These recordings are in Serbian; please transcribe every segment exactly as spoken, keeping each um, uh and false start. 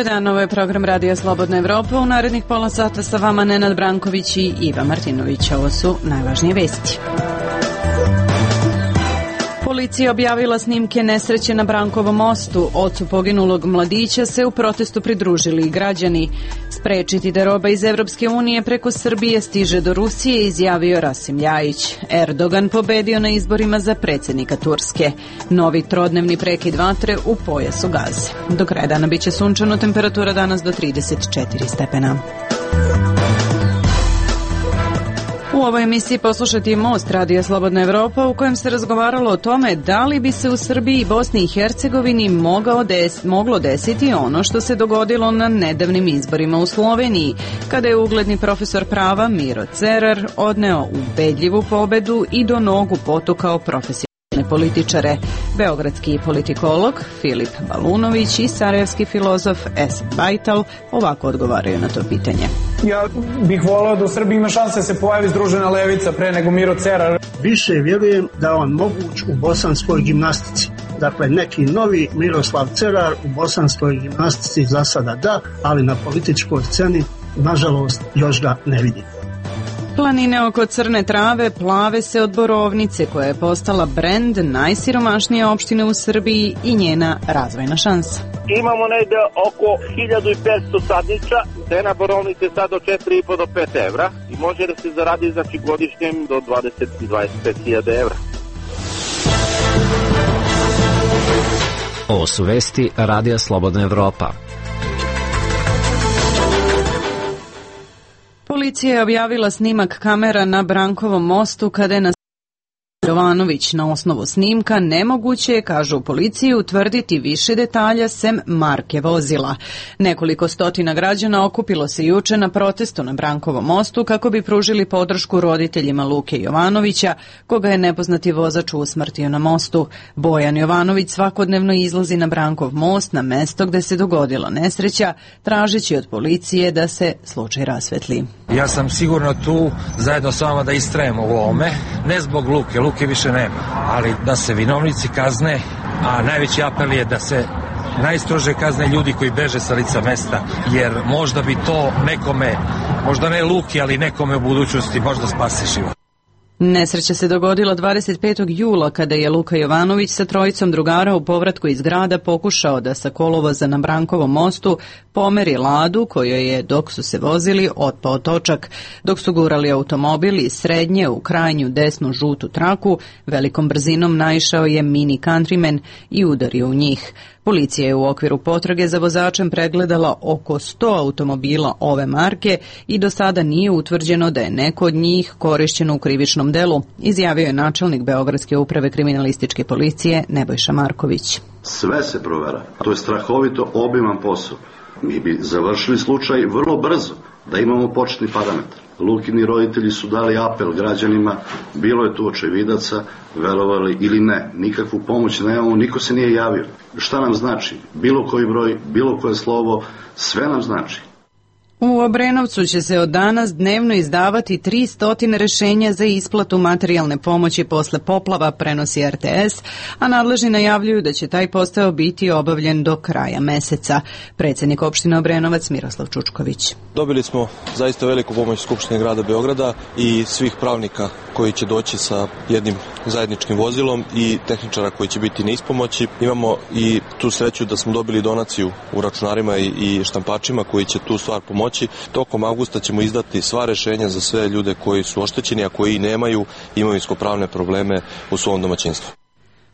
Dobar dan, ovo je program Radija Slobodna Evropa. U narednih pola sata sa vama Nenad Branković i Iva Martinović. Ovo su najvažnije vesti. Policija objavila snimke nesreće na Brankovom mostu. Ocu poginulog mladića se u protestu pridružili i građani. Sprečiti da roba iz Evropske unije preko Srbije stiže do Rusije, izjavio Rasim Ljajić. Erdogan pobedio na izborima za predsjednika Turske. Novi trodnevni prekid vatre u pojasu Gaze. Do kraja dana biće sunčano, temperatura danas do trideset četiri stepena. U ovoj emisiji poslušati Most Radija Slobodna Evropa, u kojem se razgovaralo o tome da li bi se u Srbiji i Bosni i Hercegovini mogao des, moglo desiti ono što se dogodilo na nedavnim izborima u Sloveniji, kada je ugledni profesor prava Miro Cerar odneo ubedljivu pobedu i do nogu potukao profesionalne političare. Beogradski politikolog Filip Balunović i sarajevski filozof Esad Bajtal ovako odgovaraju na to pitanje. Ja bih voleo da u Srbiji ima šanse da se pojavi združena levica pre nego Miro Cerar. Više vjerujem da je on moguć u bosanskoj gimnastici. Dakle, neki novi Miroslav Cerar u bosanskoj gimnastici za sada da, ali na političkoj sceni, nažalost, još ga ne vidim. Planine oko Crne Trave plave se od borovnice, koja je postala brend najsiromašnije opštine u Srbiji i njena razvojna šansa. Imamo negde oko hiljadu i petsto sadniča, cena borovnice sad od četiri i po do pet evra i može da se zaradi znači godišnjem do dvadeset do dvadeset pet hiljada evra. Ovo su vesti Radija Slobodna Evropa. Policija je objavila snimak kamera na Brankovom mostu kada je na Jovanović. Na osnovu snimka nemoguće je, kažu u policiji, utvrditi više detalja sem marke vozila. Nekoliko stotina građana okupilo se juče na protestu na Brankovom mostu kako bi pružili podršku roditeljima Luke Jovanovića, koga je nepoznati vozač usmrtio na mostu. Bojan Jovanović svakodnevno izlazi na Brankov most, na mesto gde se dogodila nesreća, tražeći od policije da se slučaj rasvetli. Ja sam sigurno tu zajedno s vama da istrajem u ovome, ne zbog Luke, Luke više nema, ali da se vinovnici kazne, a najveći apel je da se najstrože kazne ljudi koji beže sa lica mesta, jer možda bi to nekome, možda ne Luki, ali nekome u budućnosti možda spasi život. Nesreća se dogodila dvadeset petog jula kada je Luka Jovanović sa trojicom drugara u povratku iz grada pokušao da sa kolovoza na Brankovom mostu pomeri Ladu kojoj je, dok su se vozili, otpao točak. Dok su gurali automobil iz srednje u krajnju desnu žutu traku, velikom brzinom naišao je mini countryman i udario u njih. Policija je u okviru potrage za vozačem pregledala oko sto automobila ove marke i do sada nije utvrđeno da je neko od njih korišćeno u krivičnom delu, izjavio je načelnik Beogradske uprave kriminalističke policije Nebojša Marković. Sve se provera. To je strahovito obiman posao. Mi bi završili slučaj vrlo brzo da imamo početni parametar. Lukini roditelji su dali apel građanima, bilo je tu očevidaca, verovali ili ne, nikakvu pomoć nemamo, niko se nije javio. Šta nam znači? Bilo koji broj, bilo koje slovo, sve nam znači. U Obrenovcu će se od danas dnevno izdavati tristo rešenja za isplatu materijalne pomoći posle poplava, prenosi R T S, a nadležni najavljuju da će taj posao biti obavljen do kraja meseca. Predsjednik opštine Obrenovac Miroslav Čučković. Dobili smo zaista veliku pomoć Skupštine grada Beograda i svih pravnika koji će doći sa jednim zajedničkim vozilom i tehničara koji će biti na ispomoći. Imamo i tu sreću da smo dobili donaciju u računarima i štampačima koji će tu stvar pomoći. Tokom avgusta ćemo izdati sva rešenja za sve ljude koji su oštećeni, a koji nemaju imovinsko-pravne probleme u svom domaćinstvu.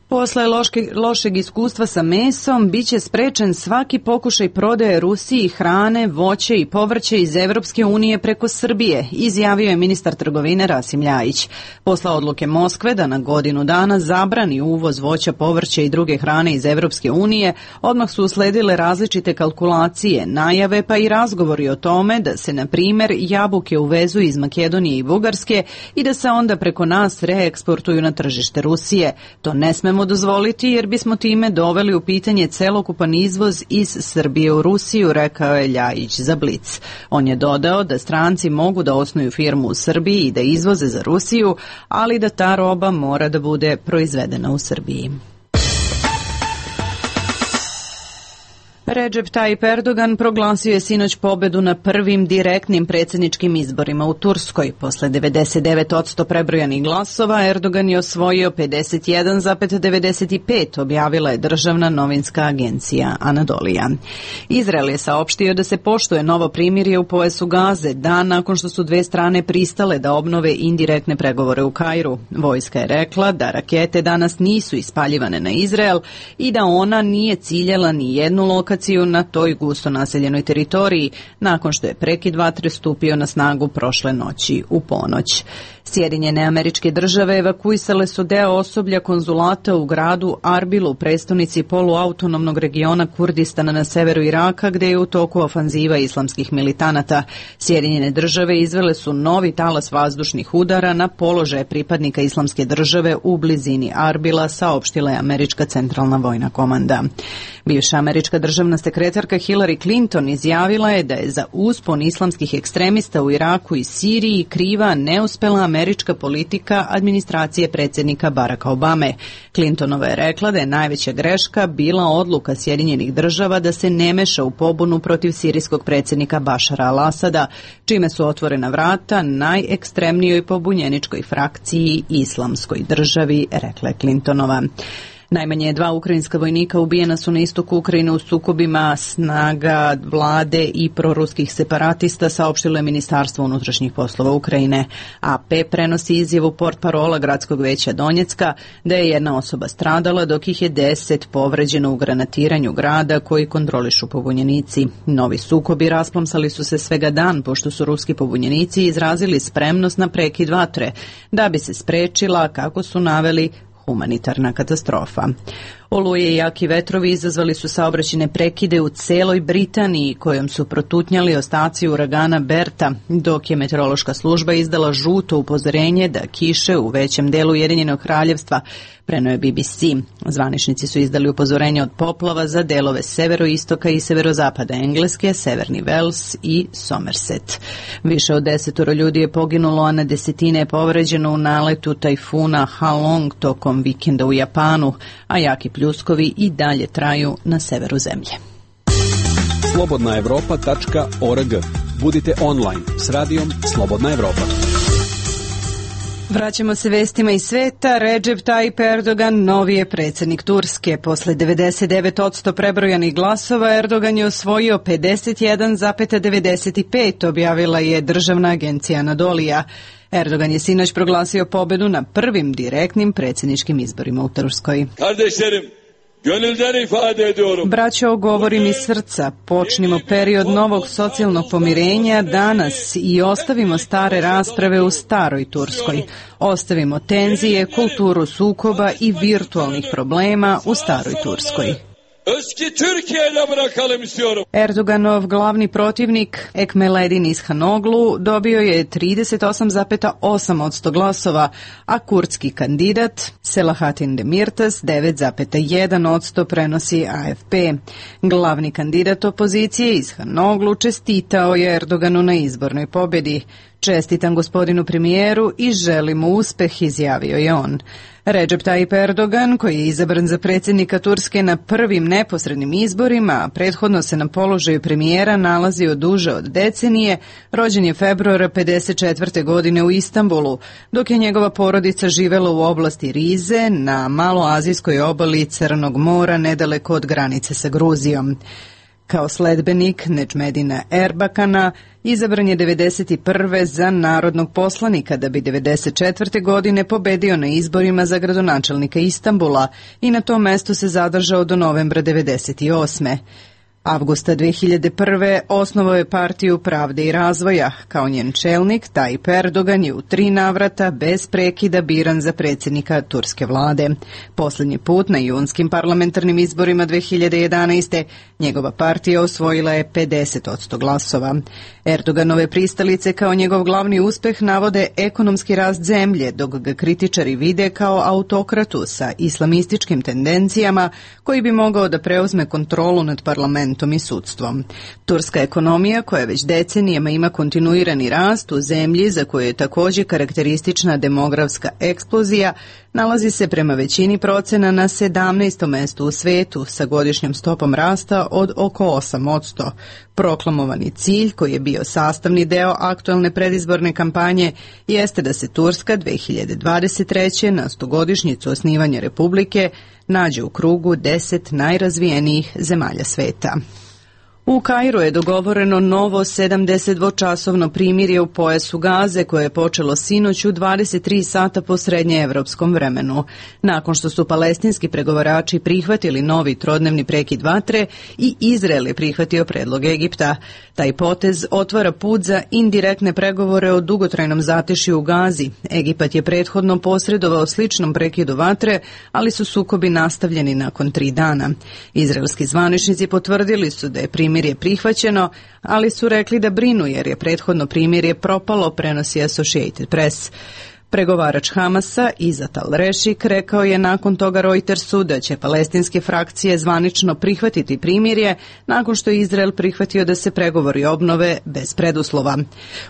Posle loške, lošeg iskustva sa mesom, biće sprečen svaki pokušaj prodaje Rusiji hrane, voće i povrće iz Evropske unije preko Srbije, izjavio je ministar trgovine Rasim Ljajić. Posle odluke Moskve da na godinu dana zabrani uvoz voća, povrća i druge hrane iz Evropske unije, odmah su usledile različite kalkulacije, najave pa i razgovori o tome da se, na primer, jabuke uvezu iz Makedonije i Bugarske i da se onda preko nas reeksportuju na tržište Rusije. To ne smemo dozvoliti jer bismo time doveli u pitanje celokupan izvoz iz Srbije u Rusiju, rekao je Ljajić za Blic. On je dodao da stranci mogu da osnuju firmu u Srbiji i da izvoze za Rusiju, ali da ta roba mora da bude proizvedena u Srbiji. Recep Tayyip Erdogan proglasio je sinoć pobedu na prvim direktnim predsjedničkim izborima u Turskoj. Posle devedeset devet posto prebrojanih glasova, Erdogan je osvojio pedeset jedan zarez devedeset pet, objavila je državna novinska agencija Anadolija. Izrael je saopštio da se poštuje novo primirje u pojasu Gaze, dan nakon što su dve strane pristale da obnove indirektne pregovore u Kairu. Vojska je rekla da rakete danas nisu ispaljivane na Izrael i da ona nije ciljala ni jednu lokaciju na toj gusto naseljenoj teritoriji, nakon što je prekid vatre stupio na snagu prošle noći u ponoć. Sjedinjene Američke Države evakuisale su deo osoblja konzulata u gradu Arbilu, prestonici poluautonomnog regiona Kurdistana na severu Iraka, gde je u toku ofanziva islamskih militanata. Sjedinjene Države izvele su novi talas vazdušnih udara na položaje pripadnika Islamske države u blizini Arbila, saopštila je Američka centralna vojna komanda. Bivša američka državna sekretarka Hillary Clinton izjavila je da je za uspon islamskih ekstremista u Iraku i Siriji kriva neuspela američka politika administracije predsjednika Baracka Obame. Clintonova je rekla da je najveća greška bila odluka Sjedinjenih Država da se ne meša u pobunu protiv sirijskog predsjednika Bašara al-Asada, čime su otvorena vrata najekstremnijoj pobunjeničkoj frakciji Islamskoj državi, rekla je Clintonova. Najmanje dva ukrajinska vojnika ubijena su na istoku Ukrajine u sukobima snaga vlade i proruskih separatista, saopštilo je Ministarstvo unutrašnjih poslova Ukrajine. A P prenosi izjavu portparola Gradskog veća Donjecka da je jedna osoba stradala, dok ih je deset povređeno u granatiranju grada koji kontrolišu pobunjenici. Novi sukobi rasplomsali su se svega dan, pošto su ruski pobunjenici izrazili spremnost na prekid vatre, da bi se sprečila, kako su naveli, humanitarna katastrofa. Oluje i jaki vetrovi izazvali su saobraćajne prekide u celoj Britaniji, kojom su protutnjali ostaci uragana Berta, dok je meteorološka služba izdala žuto upozorenje da kiše u većem delu Ujedinjenog kraljevstva, preneo je B B C. Zvaničnici su izdali upozorenje od poplava za delove severoistoka i severozapada Engleske, severni Wales i Somerset. Više od desetoro ljudi je poginulo, a na desetine je povređeno u naletu tajfuna Halong tokom vikenda u Japanu, a jaki pljuskovi i dalje traju na severu zemlje. slobodna evropa tačka org. Budite online s radijom Slobodna Evropa. Vraćamo se vestima iz sveta. Recep Tayyip Erdogan novi je predsjednik Turske. Posle devedeset devet posto prebrojanih glasova, Erdogan je osvojio pedeset jedan zarez devedeset pet, objavila je državna agencija Anadolija. Erdogan je sinoć proglasio pobedu na prvim direktnim predsjedničkim izborima u Turskoj. Kardeşlerim, gönülden ifade ediyorum. Braćo, govorim iz srca. Počnimo period novog socijalnog pomirenja danas i ostavimo stare rasprave u staroj Turskoj. Ostavimo tenzije, kulturu sukoba i virtualnih problema u staroj Turskoj. Erdoganov glavni protivnik Ekmeledin Ishanoglu dobio je trideset osam zarez osam posto glasova, a kurdski kandidat Selahattin Demirtas devet zarez jedan posto, prenosi A F P. Glavni kandidat opozicije Ishanoglu čestitao je Erdoganu na izbornoj pobjedi. Čestitam gospodinu premijeru i želim mu uspeh, izjavio je on. Recep Tayyip Erdogan, koji je izabran za predsjednika Turske na prvim neposrednim izborima, a prethodno se na položaju premijera nalazio duže od decenije, rođen je februara pedeset četvrte godine u Istanbulu, dok je njegova porodica živela u oblasti Rize na maloazijskoj obali Crnog mora nedaleko od granice sa Gruzijom. Kao sledbenik Nedžmedina Erbakana izabran je devedeset prve za narodnog poslanika, da bi devedeset četvrte godine pobedio na izborima za gradonačelnika Istanbula i na tom mestu se zadržao do novembra devedeset osme. Avgusta dve hiljade prve. osnovao je partiju Pravde i razvoja. Kao njen čelnik, Tayyip Erdogan je u tri navrata bez prekida biran za predsjednika turske vlade. Posljednji put na junskim parlamentarnim izborima dve hiljade jedanaeste. njegova partija osvojila je pedeset posto glasova. Erdoganove pristalice kao njegov glavni uspeh navode ekonomski rast zemlje, dok ga kritičari vide kao autokratu sa islamističkim tendencijama koji bi mogao da preuzme kontrolu nad parlamentom parlamentom i sudstvom. Turska ekonomija, koja već decenijama ima kontinuirani rast u zemlji za koju je također karakteristična demografska eksplozija, nalazi se prema većini procena na sedamnaestom mestu u svetu sa godišnjom stopom rasta od oko osam posto. Proklamovani cilj, koji je bio sastavni deo aktualne predizborne kampanje, jeste da se Turska dve hiljade dvadeset treće na stogodišnjicu osnivanja Republike nađe u krugu deset najrazvijenijih zemalja sveta. U Kairu je dogovoreno novo sedamdesetdvočasovno primirje u pojasu Gaze koje je počelo sinoć u dvadeset tri sata po srednjeevropskom vremenu. Nakon što su palestinski pregovarači prihvatili novi trodnevni prekid vatre i Izrael je prihvatio predlog Egipta. Taj potez otvara put za indirektne pregovore o dugotrajnom zatešju u Gazi. Egipat je prethodno posredovao sličnom prekidu vatre, ali su sukobi nastavljeni nakon tri dana. Izraelski zvaničnici potvrdili su da je primirje je prihvaćeno, ali su rekli da brinu jer je prethodno primirje propalo, prenosi Associated Press. Pregovarač Hamasa, Izat al-Rešik, rekao je nakon toga Reutersu da će palestinske frakcije zvanično prihvatiti primirje nakon što je Izrael prihvatio da se pregovori obnove bez preduslova.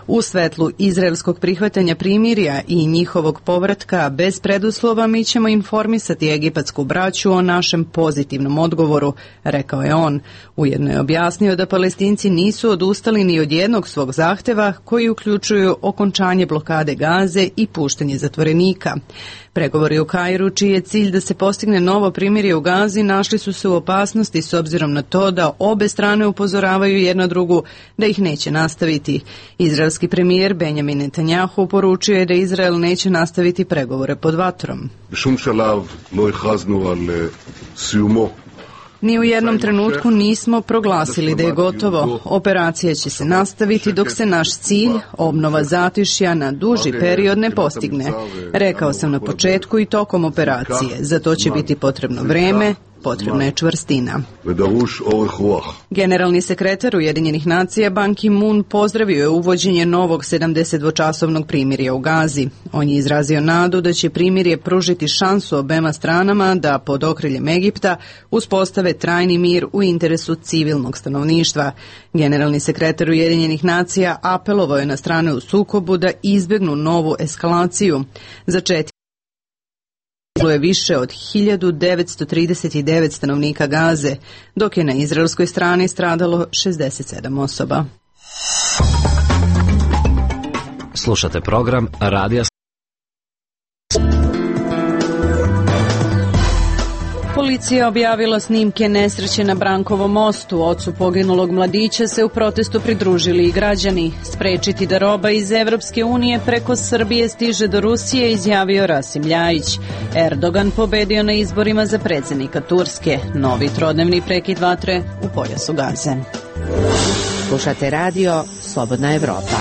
U svetlu izraelskog prihvatanja primirja i njihovog povratka bez preduslova mi ćemo informisati egipatsku braću o našem pozitivnom odgovoru, rekao je on. Ujedno je objasnio da Palestinci nisu odustali ni od jednog svog zahteva koji uključuju okončanje blokade Gaze i puštanje zatvorenika. Pregovori u Kairu, čiji je cilj da se postigne novo primirje u Gazi, našli su se u opasnosti s obzirom na to da obe strane upozoravaju jedna drugu da ih neće nastaviti. Izraelski premijer Benjamin Netanjahu poručio je da Izrael neće nastaviti pregovore pod vatrom. Ni u jednom trenutku nismo proglasili da je gotovo. Operacija će se nastaviti dok se naš cilj, obnova zatišja na duži period, ne postigne. Rekao sam na početku i tokom operacije. Za to će biti potrebno vreme, potrebna je čvrstina. Generalni sekretar Ujedinjenih nacija Ban Ki-moon pozdravio je uvođenje novog sedamdesetdvočasovnog primirja u Gazi. On je izrazio nadu da će primirje pružiti šansu obema stranama da pod okriljem Egipta uspostave trajni mir u interesu civilnog stanovništva. Generalni sekretar Ujedinjenih nacija apelovao je na strane u sukobu da izbjegnu novu eskalaciju. Za četiri je više od hiljadu devetsto trideset devet stanovnika Gaze, dok je na izraelskoj strani stradalo šezdeset sedam osoba. Slušate program Radija. Policija objavila snimke nesreće na Brankovom mostu. Ocu poginulog mladića se u protestu pridružili i građani. Sprečiti da roba iz Evropske unije preko Srbije stiže do Rusije, izjavio Rasim Ljajić. Erdogan pobedio na izborima za predsjednika Turske. Novi trodnevni prekid vatre u pojasu Gaze. Slušate radio Slobodna Evropa.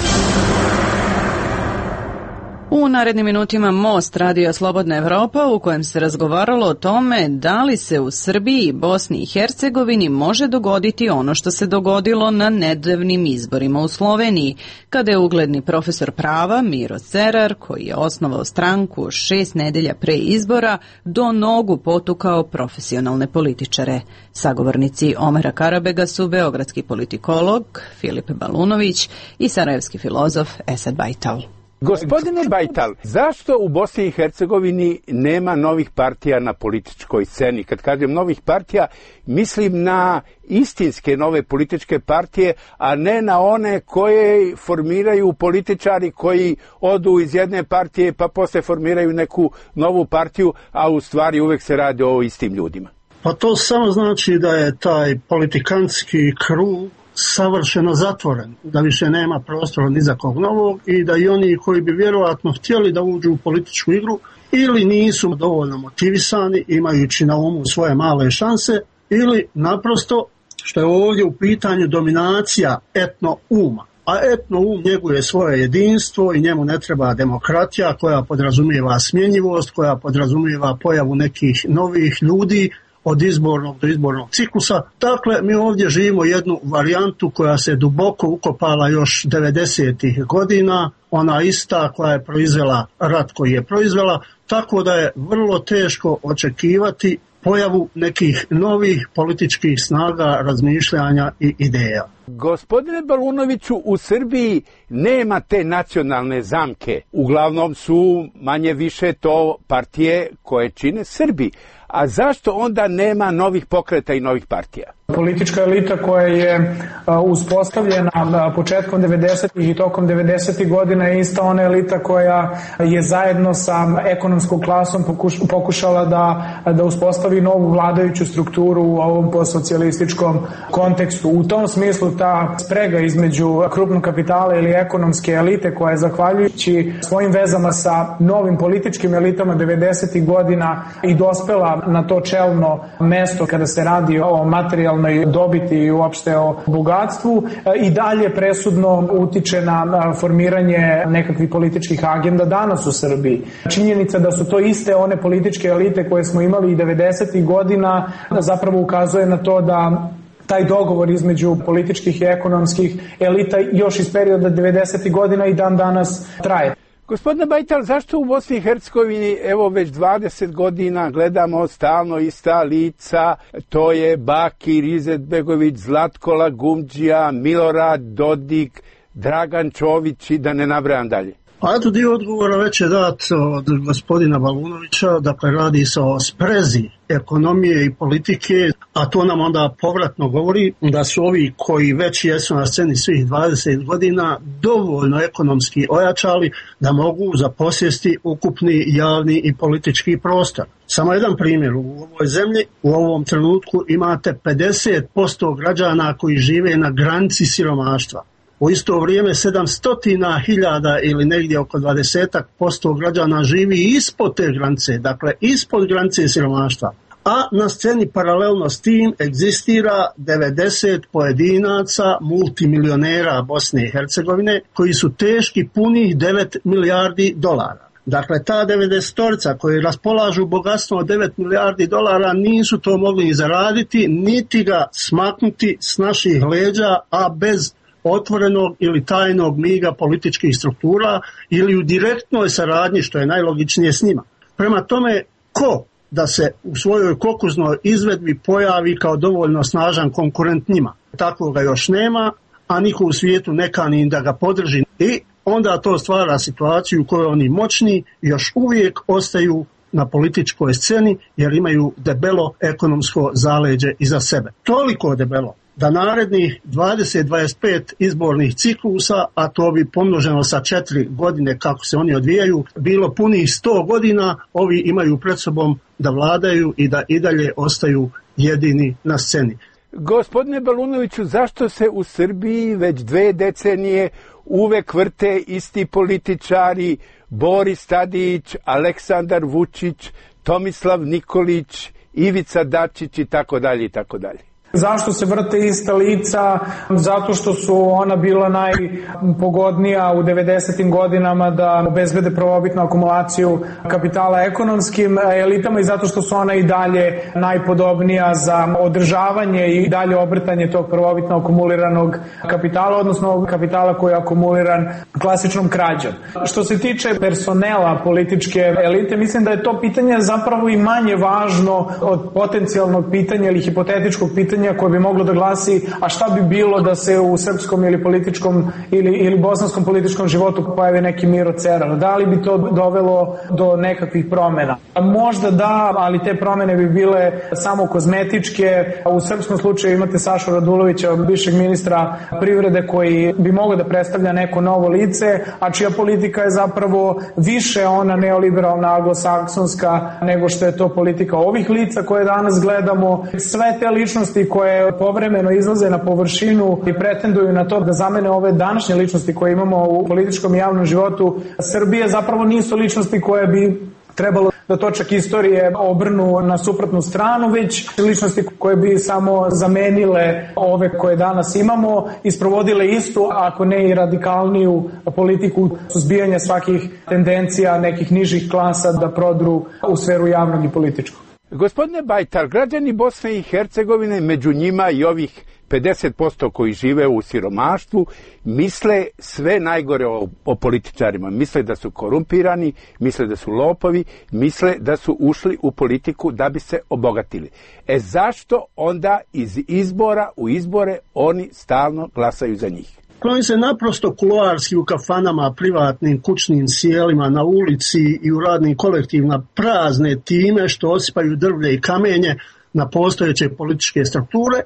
U narednim minutima Most, radio Slobodna Evropa, u kojem se razgovaralo o tome da li se u Srbiji i Bosni i Hercegovini može dogoditi ono što se dogodilo na nedavnim izborima u Sloveniji, kada je ugledni profesor prava Miro Cerar, koji je osnovao stranku šest nedelja pre izbora, do nogu potukao profesionalne političare. Sagovornici Omera Karabega su beogradski politikolog Filip Balunović i sarajevski filozof Esad Bajtal. Gospodine Bajtal, zašto u Bosni i Hercegovini nema novih partija na političkoj sceni? Kad kažem novih partija, mislim na istinske nove političke partije, a ne na one koje formiraju političari koji odu iz jedne partije pa posle formiraju neku novu partiju, a u stvari uvek se radi o istim ljudima. Pa to samo znači da je taj politikantski krug savršeno zatvoren, da više nema prostora ni za kog novog i da i oni koji bi vjerojatno htjeli da uđu u političku igru ili nisu dovoljno motivisani, imajući na umu svoje male šanse, ili naprosto, što je ovdje u pitanju, dominacija etno-uma. A etno-um njeguje svoje jedinstvo i njemu ne treba demokratija koja podrazumijeva smjenjivost, koja podrazumijeva pojavu nekih novih ljudi, od izbornog do izbornog ciklusa. Dakle, mi ovdje živimo jednu varijantu koja se duboko ukopala još devedesetih godina, ona ista koja je proizvela rat koji je proizvela, tako da je vrlo teško očekivati pojavu nekih novih političkih snaga, razmišljanja i ideja. Gospodine Balunoviću, u Srbiji nema te nacionalne zamke. Uglavnom su manje više to partije koje čine Srbi. A zašto onda nema novih pokreta i novih partija? Politička elita koja je uspostavljena početkom devedesetih i tokom devedesetih godina je ista ona elita koja je zajedno sa ekonomskom klasom pokušala da, da uspostavi novu vladajuću strukturu u ovom postsocijalističkom kontekstu. U tom smislu ta sprega između krupnog kapitala ili ekonomske elite koja je zahvaljujući svojim vezama sa novim političkim elitama devedesetih godina i dospela na to čelno mesto kada se radi o materijalnom dobiti i uopšte o bogatstvu i dalje presudno utiče na formiranje nekakvih političkih agenda danas u Srbiji. Činjenica da su to iste one političke elite koje smo imali i devedesetih godina zapravo ukazuje na to da taj dogovor između političkih i ekonomskih elita još iz perioda devedesetih godina i dan danas traje. Gospodine Bajtal, zašto u Bosni i Hercegovini evo već dvadeset godina gledamo stalno ista lica, to je Bakir Izetbegović, Zlatko Lagumdžija, Milorad Dodik, Dragan Čović i da ne nabrajam dalje? A eto, dio odgovora već je dat od gospodina Balunovića, dakle radi se o sprezi ekonomije i politike, a to nam onda povratno govori da su ovi koji već jesu na sceni svih dvadeset godina dovoljno ekonomski ojačali da mogu zaposjesti ukupni javni i politički prostor. Samo jedan primjer, u ovoj zemlji u ovom trenutku imate pedeset posto građana koji žive na granici siromaštva. U isto vrijeme sedamsto hiljada ili negdje oko dvadeset posto građana živi ispod te granice, dakle ispod granice siromaštva. A na sceni paralelno s tim egzistira devedeset pojedinaca multimilionera Bosne i Hercegovine koji su teški punih devet milijardi dolara. Dakle, ta devedesetorica koji raspolažu bogatstvom od devet milijardi dolara nisu to mogli ni zaraditi, niti ga smaknuti s naših leđa, a bez otvorenog ili tajnog miga političkih struktura ili u direktnoj saradnji, što je najlogičnije s njima. Prema tome, ko da se u svojoj kokuznoj izvedbi pojavi kao dovoljno snažan konkurent njima? Takvoga još nema, a niko u svijetu ne kani da ga podrži. I onda to stvara situaciju u kojoj oni moćni još uvijek ostaju na političkoj sceni jer imaju debelo ekonomsko zaleđe iza sebe. Toliko debelo da narednih dvadeset do dvadeset pet izbornih ciklusa, a to bi pomnoženo sa četiri godine kako se oni odvijaju, bilo punih sto godina, ovi imaju pred sobom da vladaju i da i dalje ostaju jedini na sceni. Gospodine Balunoviću, zašto se u Srbiji već dve decenije uvek vrte isti političari, Boris Tadić, Aleksandar Vučić, Tomislav Nikolić, Ivica Dačić i tako dalje i tako dalje? Zašto se vrte ista lica? Zato što su ona bila najpogodnija u devedesetim godinama da obezbede prvobitnu akumulaciju kapitala ekonomskim elitama i zato što su ona i dalje najpodobnija za održavanje i dalje obrtanje tog prvobitno akumuliranog kapitala, odnosno kapitala koji je akumuliran klasičnom krađom. Što se tiče personela političke elite, mislim da je to pitanje zapravo i manje važno od potencijalnog pitanja ili hipotetičkog pitanja koje bi moglo da glasi, a šta bi bilo da se u srpskom ili političkom ili, ili bosanskom političkom životu pojavi neki Miro Cerar? Da li bi to dovelo do nekakvih promjena? Možda da, ali te promjene bi bile samo kozmetičke. U srpskom slučaju imate Sašu Radulovića, bivšeg ministra privrede, koji bi mogao da predstavlja neko novo lice, a čija politika je zapravo više ona neoliberalna, anglosaksonska, nego što je to politika ovih lica koje danas gledamo. Sve te ličnosti koje povremeno izlaze na površinu i pretenduju na to da zamene ove današnje ličnosti koje imamo u političkom i javnom životu Srbije, zapravo nisu ličnosti koje bi trebalo da točak istorije obrnu na suprotnu stranu, već ličnosti koje bi samo zamenile ove koje danas imamo i sprovodile istu, ako ne i radikalniju politiku suzbijanja svakih tendencija nekih nižih klasa da prodru u sferu javnog i političkog. Gospodine Bajtar, građani Bosne i Hercegovine, među njima i ovih pedeset posto koji žive u siromaštvu, misle sve najgore o, o političarima. Misle da su korumpirani, misle da su lopovi, misle da su ušli u politiku da bi se obogatili. E zašto onda iz izbora u izbore oni stalno glasaju za njih? Oni se naprosto kuloarski u kafanama, privatnim, kućnim sjelima, na ulici i u radnim kolektivima prazne time što osipaju drvlje i kamenje na postojeće političke strukture,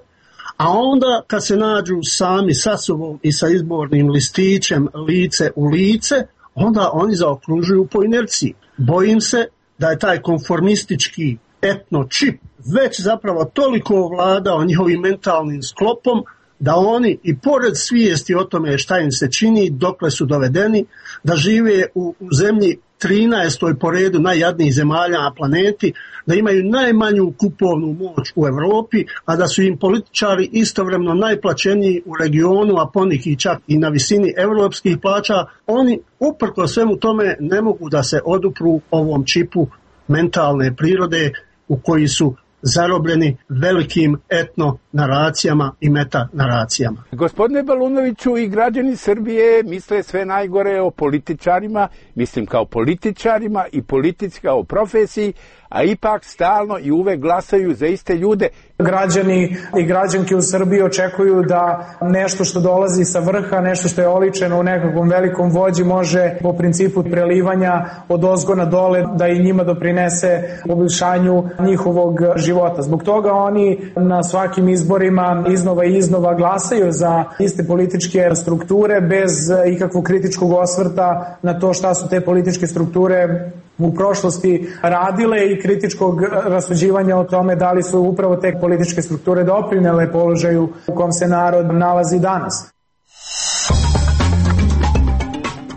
a onda kad se nađu sami sa sobom i sa izbornim listićem lice u lice, onda oni zaokružuju po inerciji. Bojim se da je taj konformistički etno čip već zapravo toliko vladao njihovim mentalnim sklopom da oni i pored svijesti o tome šta im se čini, dokle su dovedeni, da žive u, u zemlji trinaestoj po redu najjadnijih zemalja na planeti, da imaju najmanju kupovnu moć u Europi, a da su im političari istovremeno najplaćeniji u regionu, a poneki čak i na visini europskih plaća, oni uprko svemu tome ne mogu da se odupru ovom čipu mentalne prirode u koji su zarobljeni velikim etno naracijama i meta naracijama. Gospodine Balunoviću, i građani Srbije misle sve najgore o političarima, mislim kao političarima i politici kao profesiji, a ipak stalno i uvek glasaju za iste ljude. Građani i građanke u Srbiji očekuju da nešto što dolazi sa vrha, nešto što je oličeno u nekakvom velikom vođi može po principu prelivanja od ozgo na dole da i njima doprinese poboljšanju njihovog života. Zbog toga oni na svakim izborima iznova i iznova glasaju za iste političke strukture bez ikakvog kritičkog osvrta na to šta su te političke strukture u prošlosti radile i kritičkog rasuđivanja o tome da li su upravo te političke strukture doprinele položaju u kom se narod nalazi danas.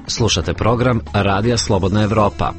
Slušate program Radija Slobodna Evropa.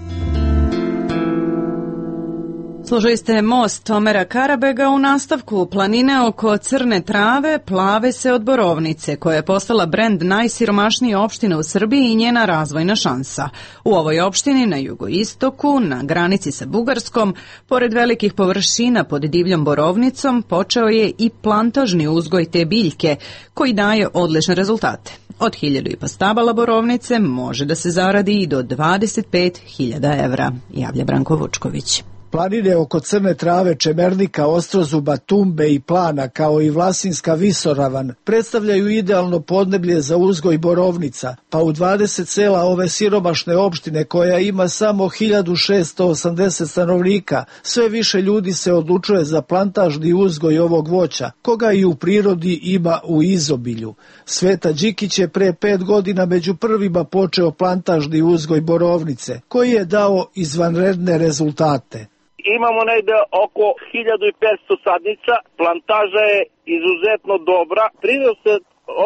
Slušali ste Most Omera Karabega. U nastavku, planine oko Crne Trave plave se od borovnice, koja je postala brend najsiromašnije opštine u Srbiji i njena razvojna šansa. U ovoj opštini na jugoistoku, na granici sa Bugarskom, pored velikih površina pod divljom borovnicom, počeo je i plantažni uzgoj te biljke, koji daje odlične rezultate. Od hiljadu i po stabala borovnice može da se zaradi i do dvadeset pet hiljada evra, javlja Branko Vučković. Planine oko Crne Trave, Čemernika, Ostrozuba, Tumbe i Plana, kao i Vlasinska visoravan, predstavljaju idealno podneblje za uzgoj borovnica, pa u dvadeset sela ove siromašne opštine, koja ima samo hiljadu šessto osamdeset stanovnika, sve više ljudi se odlučuje za plantažni uzgoj ovog voća, koga i u prirodi ima u izobilju. Sveta Đikić je pre pet godina među prvima počeo plantažni uzgoj borovnice, koji je dao izvanredne rezultate. Imamo negde oko hiljadu i petsto sadnica, plantaža je izuzetno dobra. Prinos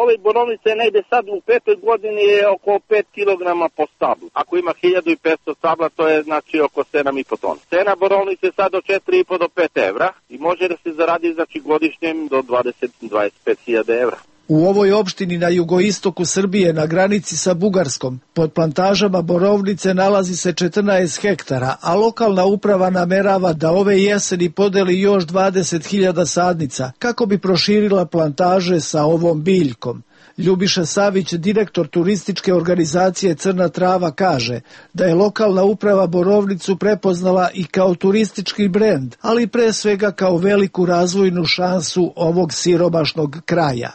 ove borovnice je negde sad u petoj godini je oko pet kilograma po stablu. Ako ima hiljadu i petsto stabla, to je znači oko sedam i po tona. Cena borovnice je sad od četiri i po do pet evra i može da se zaradi znači godišnjem do dvadeset do dvadeset pet hiljada evra. U ovoj opštini na jugoistoku Srbije, na granici sa Bugarskom, pod plantažama borovnice nalazi se četrnaest hektara, a lokalna uprava namerava da ove jeseni podeli još dvadeset hiljada sadnica, kako bi proširila plantaže sa ovom biljkom. Ljubiša Savić, direktor turističke organizacije Crna Trava, kaže da je lokalna uprava borovnicu prepoznala i kao turistički brend, ali pre svega kao veliku razvojnu šansu ovog siromašnog kraja.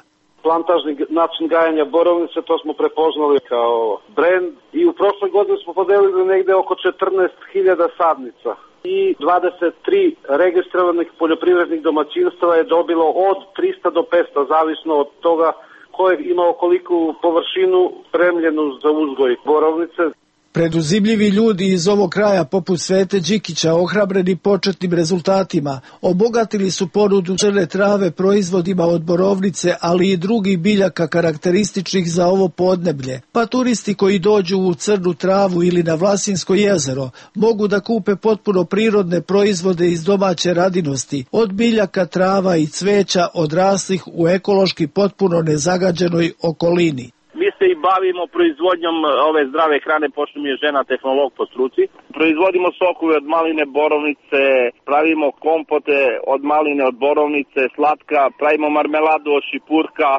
Plantažni način gajanja borovnice, to smo prepoznali kao brend i u prošloj godini smo podelili negde oko četrnaest hiljada sadnica i dvadeset tri registrovanih poljoprivrednih domaćinstva je dobilo od trista do petsto, zavisno od toga ko je imao koliku površinu spremljenu za uzgoj borovnice. Preduzimljivi ljudi iz ovog kraja poput Svete Đikića, ohrabreni početnim rezultatima, obogatili su ponudu Crne Trave proizvodima od borovnice, ali i drugih biljaka karakterističnih za ovo podneblje. Pa turisti koji dođu u Crnu Travu ili na Vlasinsko jezero mogu da kupe potpuno prirodne proizvode iz domaće radinosti, od biljaka, trava i cveća odraslih u ekološki potpuno nezagađenoj okolini. Mi se i bavimo proizvodnjom ove zdrave hrane, pošto mi je žena tehnolog po struci. Proizvodimo sokove od maline, borovnice, pravimo kompote od maline, od borovnice, slatka, pravimo marmeladu od šipurka,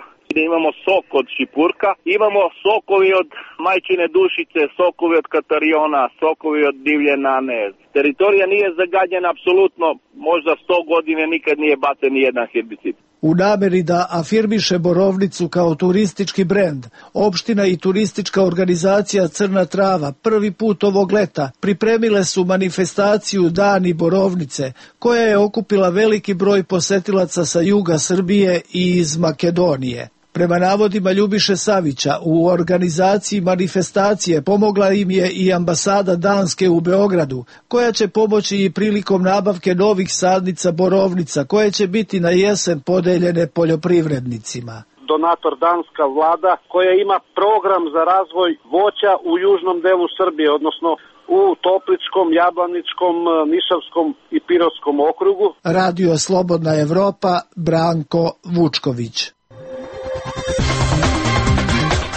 imamo sok od šipurka, imamo sokovi od majčine dušice, sokovi od katariona, sokovi od divlje nane. Teritorija nije zagađena apsolutno, možda sto godine nikad nije bacen ni jedan herbicid. U nameri da afirmiše Borovnicu kao turistički brend, opština i turistička organizacija Crna Trava prvi put ovog leta pripremile su manifestaciju Dani Borovnice, koja je okupila veliki broj posetilaca sa juga Srbije i iz Makedonije. Prema navodima Ljubiše Savića, u organizaciji manifestacije pomogla im je i ambasada Danske u Beogradu, koja će pomoći i prilikom nabavke novih sadnica borovnica, koje će biti na jesen podeljene poljoprivrednicima. Donator danska vlada koja ima program za razvoj voća u južnom delu Srbije, odnosno u Topličkom, Jablaničkom, Nišavskom i Pirovskom okrugu. Radio Slobodna Evropa, Branko Vučković.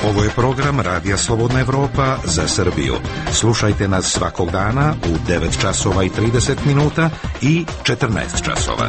Ovo je program Radija Slobodna Evropa za Srbiju. Slušajte nas svakog dana u devet časova i trideset minuta i četrnaest časova.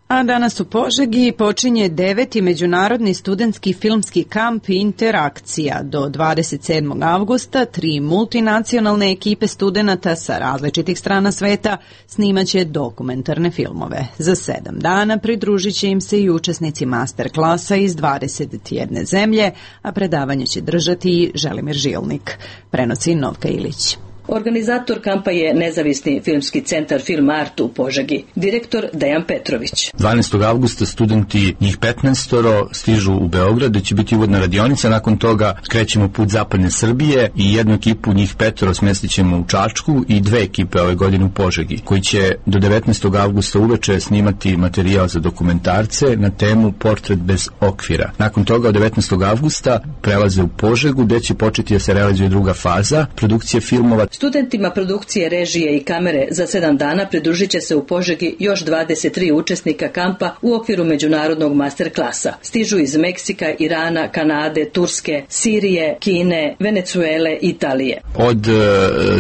A danas u Požegi počinje deveti međunarodni studentski filmski kamp Interakcija. Do dvadeset sedmog avgusta tri multinacionalne ekipe studenata sa različitih strana sveta snimaće dokumentarne filmove. Za sedam dana pridružit će im se i učesnici master klasa iz dvadeset jedne zemlje, a predavanje će držati i Želimir Žilnik. Prenosi Novka Ilić. Organizator kampa je nezavisni filmski centar Film Art u Požegi, direktor Dejan Petrović. dvanaestog avgusta studenti, njih petnaest, stižu u Beograd, gde će biti uvodna radionica, nakon toga krećemo put zapadne Srbije i jednu ekipu, njih petoro, smestit ćemo u Čačku i dve ekipe ove godine u Požegi, koji će do devetnaestog avgusta uveče snimati materijal za dokumentarce na temu Portret bez okvira. Nakon toga od devetnaestog avgusta prelaze u Požegu, gde će početi da se realizuje druga faza produkcije filmova. Studentima produkcije, režije i kamere za sedam dana pridružit će se u Požegi još dvadeset tri učesnika kampa u okviru međunarodnog master klasa. Stižu iz Meksika, Irana, Kanade, Turske, Sirije, Kine, Venecuele i Italije. Od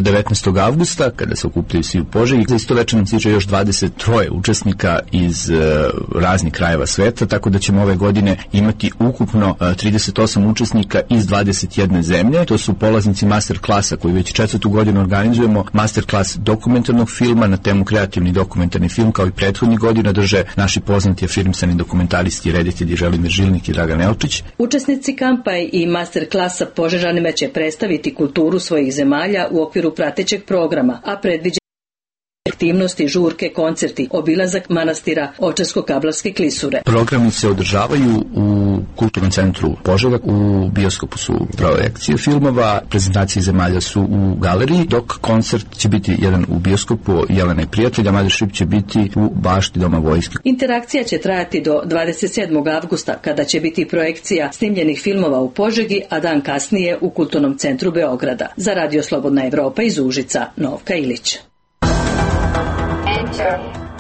devetnaestog avgusta, kada se okupljaju svi u Požegi, za isto večer nam stiže još dvadeset tri učesnika iz raznih krajeva sveta, tako da ćemo ove godine imati ukupno trideset osam učesnika iz dvadeset jedne zemlje. To su polaznici master klasa koji već četvrtu godinu organizujemo masterclass dokumentarnog filma na temu kreativni dokumentarni film, kao i prethodnih godina drže naši poznati afirmisani dokumentaristi i reditelji Želimir Žilnik i Dragan Elčić. Učesnici kampa i masterklasa Požežanima će predstaviti kulturu svojih zemalja u okviru pratećeg programa, a predviđa aktivnosti, žurke, koncerti, obilazak manastira Ovčarsko-Kablarske klisure. Programi se održavaju u Kulturnom centru Požega, u bioskopu su projekcije filmova, prezentacije zemalja su u galeriji, dok koncert će biti jedan u bioskopu Jelena i prijatelja, Mothership će biti u bašti Doma vojske. Interakcija će trajati do dvadeset sedmog avgusta, kada će biti projekcija snimljenih filmova u Požegi, a dan kasnije u Kulturnom centru Beograda. Za Radio Slobodna Evropa iz Užica, Novka Ilić.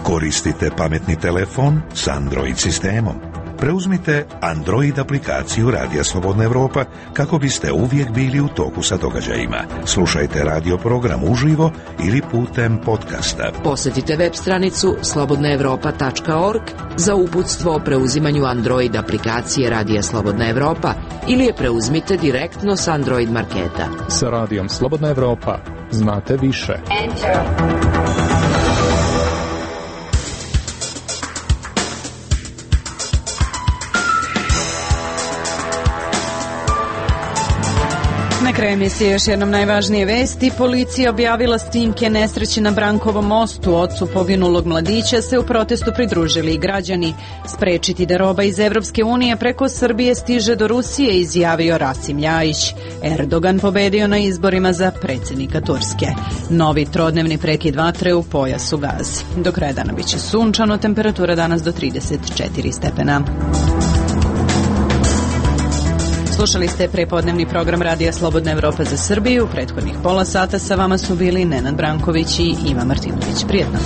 Koristite pametni telefon s Android sistemom. Preuzmite Android aplikaciju Radija Slobodna Evropa kako biste uvijek bili u toku sa događajima. Slušajte radio program uživo ili putem podcasta. Posjetite web stranicu slobodna evropa tačka org za uputstvo o preuzimanju Android aplikacije Radija Slobodna Evropa ili je preuzmite direktno s Android marketa. Sa Radijom Slobodna Evropa znate više. Enter. Na kraju emisije još jednom najvažnije vesti. Policija objavila snimke nesreće na Brankovom mostu. Ocu poginulog mladića se u protestu pridružili i građani. Sprečiti da roba iz Evropske unije preko Srbije stiže do Rusije, izjavio Rasim Ljajić. Erdogan pobedio na izborima za predsjednika Turske. Novi trodnevni prekid vatre u pojasu Gaze. Do kraja dana biće sunčano, temperatura danas do trideset četiri stepena. Slušali ste prepodnevni program Radija Slobodna Evropa za Srbiju. Prethodnih pola sata sa vama su bili Nenad Branković i Iva Martinović. Prijetno.